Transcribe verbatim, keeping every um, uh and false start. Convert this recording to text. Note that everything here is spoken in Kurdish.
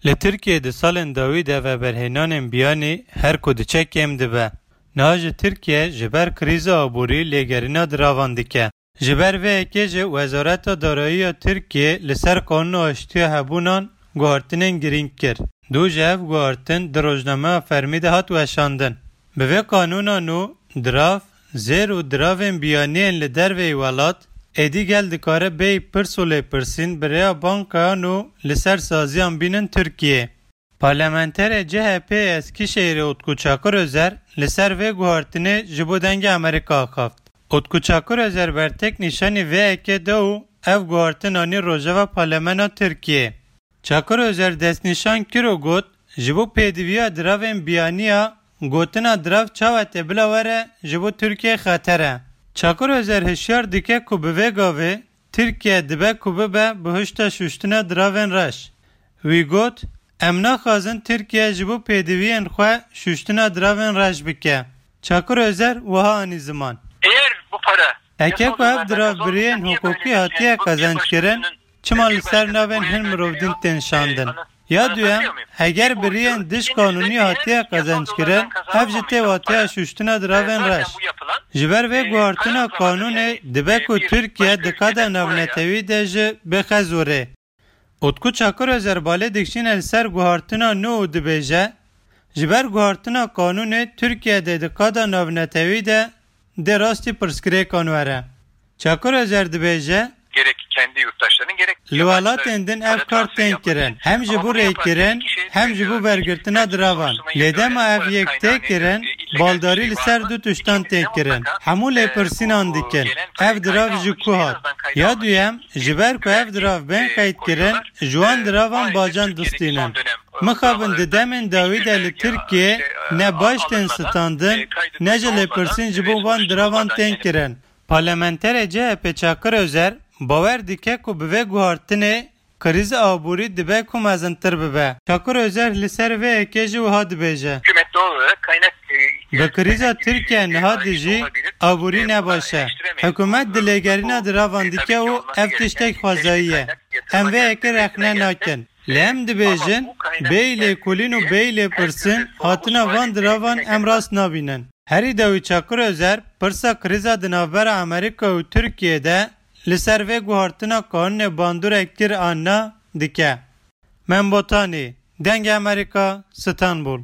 Li Tirkiyê di salên dawî de veberhênanên biyanî her ku diçe kêm dibe. Niha jî Tirkiye ji ber krîza aborî lêgerîna diravan dike. Ji ber vê yekê jî Wezareta Darayî ya Tirkiyê li ser Qanûna Aştiya Hebûnan guhartinên girîng kir. Dû ji ev guhartin di rojnameya fermî de hat weşandin. Bi vê qanûna nû dirav, zêr û diravên biyaniyên li derveyî welat êdî gel dikare bêyî pirs û lêpirsîn bi rêya bankayan û li ser saziyan bînin Tirkiyê. Parlamenterê C H P Eskişehîrê Utku Çakır Özer li ser vê guhartinê ji bo Dengê Amerîka axaft. Utku Çakır Özer bertek nîşanî vê yekê da û ev guhartin anî rojeva Parlemena Tirkiyê. Çakır Özer destnîşan kir û got, ji bo pêdiviya diravên biyaniya gotina dirav çawa tê bila were ji bo Tirkiyê xeter e. Çakır Özer hişyar dike ku bi vê gavê Tirkiye dibe ku bibe bihuşta şuştina diravên reş. Wî got, em naxwazin Tirkiye ji bo pêdiviyên xwe şuştina diravên reş bike. Çakır Özer wiha anî ziman. Eğer bu para Eke ku ev dirav bi rêyên hukukî hatiye qezenckirin, çima li ser navên hin mirov din tên şandin? Ya duyem, heger bi rêyên dij qanûnî hatiye qezenckirin, ev jî tê wateya şuştina diravên reş. Ji ber vê guhartina qanûnê dibe ku Tirkiye di qada navnetewî de jî bixe zorê. Utku Çakır Özer balê dikişîne li ser guhartina nû û dibêje, ji ber guhartina qanûnê Tirkiye dê di qada navnetewî de dê rastî pirsgirêkan were. Çakır Özer dibêje, gerek kendi yurttaşlarının gerek li welatên din ev kar tên kirin. Hem ji bo rêkirin, hem ji bo wergirtina diravan. Lê dema ev yek tê kirin, baldarî li ser du tiştan tên kirin. Hemû lêpirsînan dikin. Ev dirav ji ku hat? Ya duyem, ji ber ku ev dirav bên qeyd kirin, ji wan diravan bacan distînin. Mixabin di demên dawî de li Tirkiyê ne baş tên standin, ne jî lêpirsîn ji bo van diravan tên kirin. Parlamenterê C H P Çakır Özer bawer dike ku bi vê guhartinê krîza aborî dibe ku mezintir bibe. Çakır Özer li ser vê yekê jî wiha dibêje, hükümet doğal olarak kaynak e, Bi krîza Tirkiye niha dijî aborî ne baş e. Hikûmet di lêgerîna diravan dike û ev tiştek xwezayî ye. Em vê yekê rexne nakin. Lê em dibêjin, bêyî lêkolîn û bêyî lêpirsîn hatina van diravan em rast nabînin. Herî dawî Çakır Özer pirsa krîza di navbera Amerîka û Tirkiyê de li ser vê guhartina qanûnê bandorek kir an na dike. Mem Botanî, Dengê Amerîka, Stenbul.